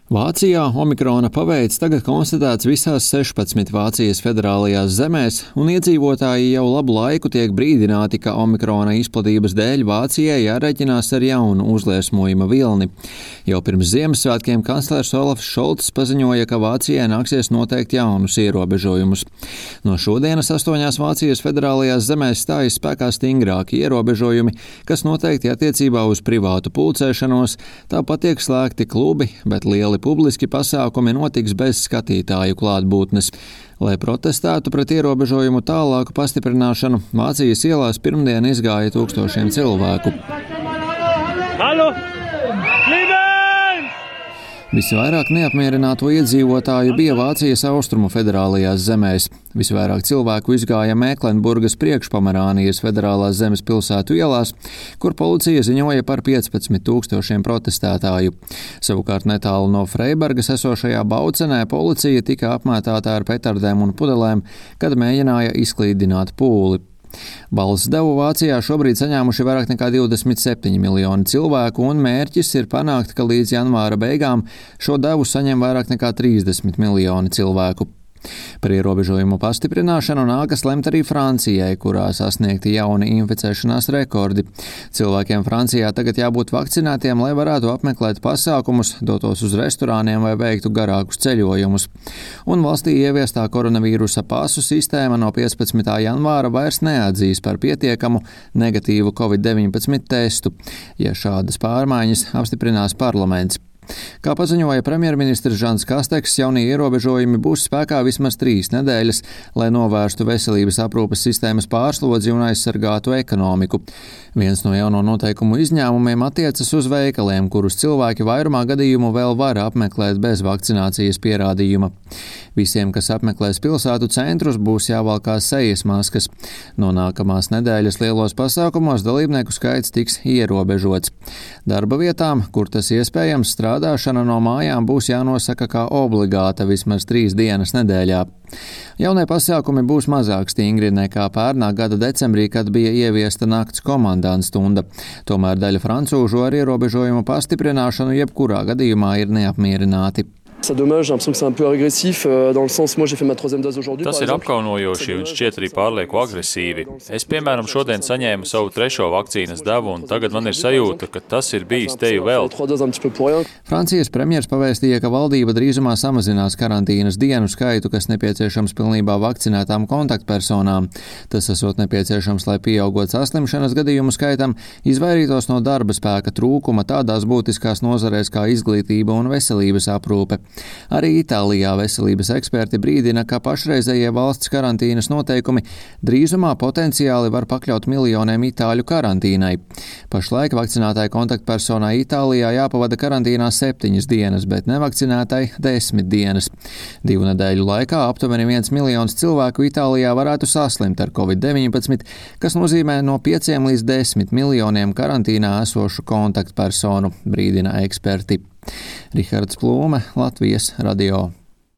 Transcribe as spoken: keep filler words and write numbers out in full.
Vācijā omikrona paveids tagad konstatēts visās sešpadsmit Vācijas federālajās zemēs, un iedzīvotāji jau labu laiku tiek brīdināti, ka omikrona izplatības dēļ Vācijai jārēķinās ar jaunu uzliesmojuma vilni. Jau pirms Ziemassvētkiem kanclers Olafs Šolts paziņoja, ka Vācijai nāksies noteikt jaunus ierobežojumus. No šodienas astoņās Vācijas federālajās zemēs stājas spēkā stingrāki ierobežojumi, kas noteikti attiecībā uz privātu pulcēšanos, tāpat tiek slēgti klubi, bet lieli publiski pasākumi notiks bez skatītāju klātbūtnes. Lai protestētu pret ierobežojumu tālāku pastiprināšanu, Vācijas ielās pirmdien izgāja tūkstošiem cilvēku. Halo! Visvairāk neapmierināto iedzīvotāju bija Vācijas austrumu federālajās zemēs. Visvairāk cilvēku izgāja Mēklenburgas priekšpomerānijas federālās zemes pilsētu ielās, kur policija ziņoja par piecpadsmit tūkstošiem protestētāju. Savukārt netālu no Freibergas esošajā Baucenē policija tika apmētāta ar petardēm un pudelēm, kad mēģināja izklīdināt pūli. Balss devu Vācijā šobrīd saņēmuši vairāk nekā divdesmit septiņi miljoni cilvēku, un mērķis ir panākt, ka līdz janvāra beigām šo devu saņem vairāk nekā trīsdesmit miljoni cilvēku. Par ierobežojumu pastiprināšanu nākas lemt arī Francijai, kurā sasniegti jauni inficēšanās rekordi. Cilvēkiem Francijā tagad jābūt vakcinētiem, lai varētu apmeklēt pasākumus, dotos uz restorāniem vai veiktu garākus ceļojumus. Un valstī ieviestā koronavīrusa pasu sistēma no piecpadsmitā janvāra vairs neatzīs par pietiekamu negatīvu covid deviņpadsmit testu, ja šādas pārmaiņas apstiprinās parlaments. Kā paziņoja premjerministrs Žans Kasteks, jaunie ierobežojumi būs spēkā vismaz trīs nedēļas, lai novērstu veselības aprūpes sistēmas pārslodzi un aizsargātu ekonomiku. Viens no jauno noteikumu izņēmumiem attiecas uz veikaliem, kurus cilvēki vairumā gadījumu vēl var apmeklēt bez vakcinācijas pierādījuma. Visiem, kas apmeklēs pilsētu centrus, būs jāvalkā sejas maskas. No nākamās nedēļas lielos pasākumos dalībnieku skaits tiks ierobežots. Darba vietām, kur tas iespējams, strādāšana no mājām būs jānosaka kā obligāta vismaz trīs dienas nedēļā. Jaunie pasākumi būs mazāk stingri nekā pērnā gada decembrī, kad bija ieviesta nakts komandanta stunda. Tomēr daļa francūžu ar ierobežojumu pastiprināšanu jebkurā gadījumā ir neapmierināti. Tas ir apkaunojoši un šķiet arī pārlieku agresīvi. Es, piemēram, šodien saņēmu savu trešo vakcīnas devu, un tagad man ir sajūta, ka tas ir bijis teju vēl. Francijas premjers pavēstīja, ka valdība drīzumā samazinās karantīnas dienu skaitu, kas nepieciešams pilnībā vakcinētām kontaktpersonām. Tas esot nepieciešams, lai pieaugot saslimšanas gadījumu skaitam, izvairītos no darba spēka trūkuma tādās būtiskās nozarēs kā izglītība un veselības aprūpe. Arī Itālijā veselības eksperti brīdina, ka pašreizējie valsts karantīnas noteikumi drīzumā potenciāli var pakļaut miljoniem itāļu karantīnai. Pašlaik vakcinētai kontaktpersonai Itālijā jāpavada karantīnā septiņas dienas, bet nevakcinētai desmit dienas. Divu nedēļu laikā aptuveni viens miljons cilvēku Itālijā varētu saslimt ar covid deviņpadsmit, kas nozīmē no pieciem līdz desmit miljoniem karantīnā esošu kontaktpersonu, brīdina eksperti. Rihards Plūme, Latvijas radio.